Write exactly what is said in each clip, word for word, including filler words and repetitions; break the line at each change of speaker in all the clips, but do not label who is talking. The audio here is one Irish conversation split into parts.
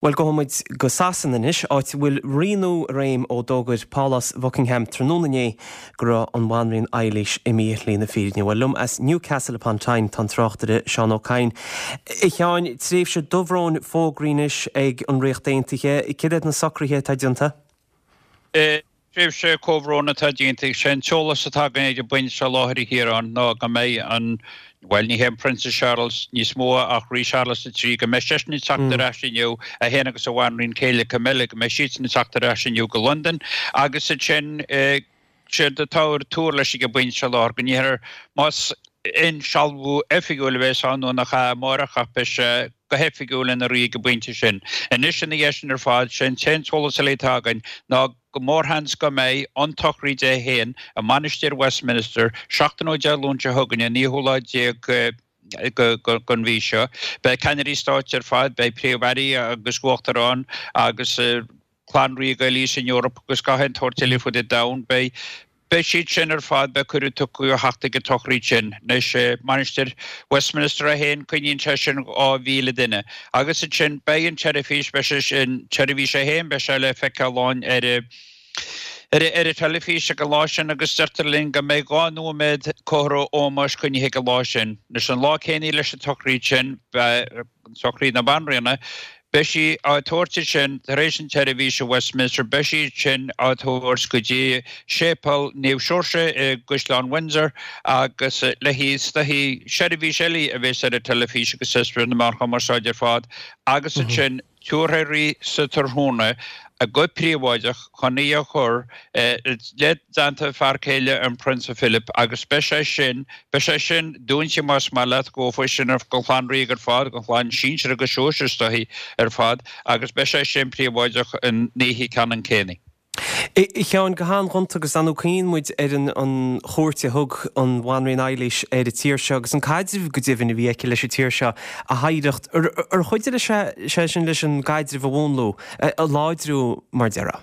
Bhuel gabhfaidh muid go Sasana anois, áit a bhfuil rí nua i réim ó d'fhógair Pálás Buckingham tráthnóna inné go raibh an Bhanríon Eilís imithe ar shlí na fírinne. Bhuel liom as Newcastle upon Tyne tá an tráchtaire Seán Ó Cadhain. A Sheáin, tréimhse dobhróin fógraithe anois ag an Ríocht Aontaithe, cad iad na socruithe atá déanta?
Tréimhse comhbhrón atá déanta, sé an t-eolas atá againn ag an bpointe seo i láthair a Chiaráin ná go mbeidh an, bhuel ní hé an Prionsa Charles níos mó ach Rí Charles a trí, go mbeidh seisean ag teacht ar ais inniu, é féin agus a bhanríon céile Camilla, go mbeidh siadsan ag teacht ar ais inniu go Londain agus ansin séard atá ar tuar leis ag an bpointe seo i láthair go ndéarfar más insealbhú oifigiúil a bheas ann nó nach ea amárach ach beidh sé go hoifigiúil ina rí ag an bpointe sin. Anois ina dhiaidh sin ar fad, sé an t-aon t-eolas eile atá againn ná gur mórsheans go mbeidh an tsochraid é féin i Mainistir Westminster seachtain ó Dé Luain seo chugainn, an naoú lá déag den mhí seo. Beidh ceannairí stáit ar fad, beidh príomh-airí agus uachtaráin agus clann ríoga eile san Eoraip agus gach aon tsórt eile fud an domhain. Beidh Beidh siad sin ar fad, beidh cuireadh tugtha a theacht ag an tsochraid sin. Anois, Mainistir Westminster é féin, coinníonn sé sin dhá mhíle duine. Agus ansin, beidh an tseirbhís, beidh sé sin, tseirbhís é féin, beidh sé le feiceáil ann ar ar ar an teilifís ag an lá sin agus deirtear linn go mbeidh dhá nóiméad comhartha ómóis coinnithe ag an lá sin. Anois, an lá céanna leis an tsochraid sin, beidh sochraid na Banríona, Beidh sí á tabhairt ansin tar éis an tseirbhís i Westminster, beidh sí ansin á tabhairt go dtí Séipéal Naomh Seoirse i gCaisleán Windsor agus le haghaidh is dóichí seirbhís eile a bheas ar an teilifís agus ar na meáin chumarsáide ar fad agus ansin tabharfar í sa tráthnóna go príobháideach chun í a chur le dteannta a fear céile an Prionsa Philip agus beidh sé sin, beidh sé sin dúinte más maith leat, gabhfaidh sin don chlann ríoga ar fad, don chlann sinsir agus sóisir is dóichí ar fad agus beidh sé sin príobháideach an oíche ceannann céanna.
A Sheáin, go han-ghonta agus ar ndóigh cuimhníonn muid ar an chuairt a thug an Bhanríon Eilís ar an tír seo agus an caidreamh go deimhin a bhí aici leis an tír seo, a hoidhreacht. Ar chuidigh sé sin leis an gcaidreamh a mhúnlú, a láidriú mar déarfá?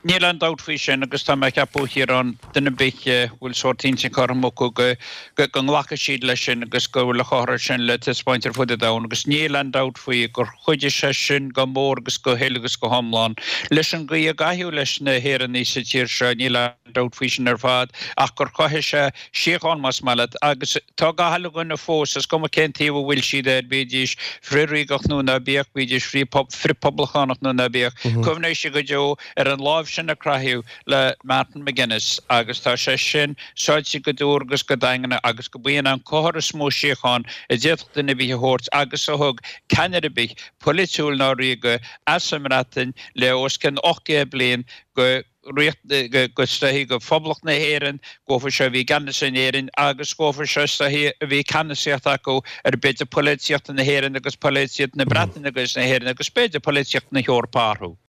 Níl aon dabht faoi sin agus tá mé ag ceapadh, a Chiaráin, duine ar bith a bhfuil sórt intinn cothrom acu go go nglacfaidh siad leis sin agus go bhfuil a chomhartha sin le taispeáint ar fud an domhain agus níl aon dabht faoi gur chuidigh sé sin go mór agus go huile agus go hiomlán leis an gcaoi a gcaitheadh leis na hÉireannaigh sa tír seo, níl aon dabht faoi sin ar fad ach gur chothaigh sé síocháin más maith leat agus tá gach uile dhuine fós, is cuma cén taobh a bhfuil siad air, bídís frith-ríogach nó ná bíodh, bídís frith-phoblachtánach nó ná bíodh, cuimhneoidh siad go deo ar an lámh sin a croitheadh le Martin McGuinness agus tá sé sin sáite go dúr agus go daingean agus go b'in an comhartha is mó síocháin a d'fhéadfadh duine ar bith a thabhairt agus a thug ceannaire ar bith, polaitiúil ná ríoga, as an mBreatain le os cionn ocht gcéad bliain go Ríocht, go is dóichí go Phoblacht na hÉireann, dóibh seo a bhí i gceannas in Éirinn agus dóibh seo is dóichí a bhí ceannasaíocht acu ar b'fhéidir polaitíocht na hÉireann agus polaitíocht na Breataine agus na hÉireann agus b'fhéidir polaitíocht na hEorpa orthu.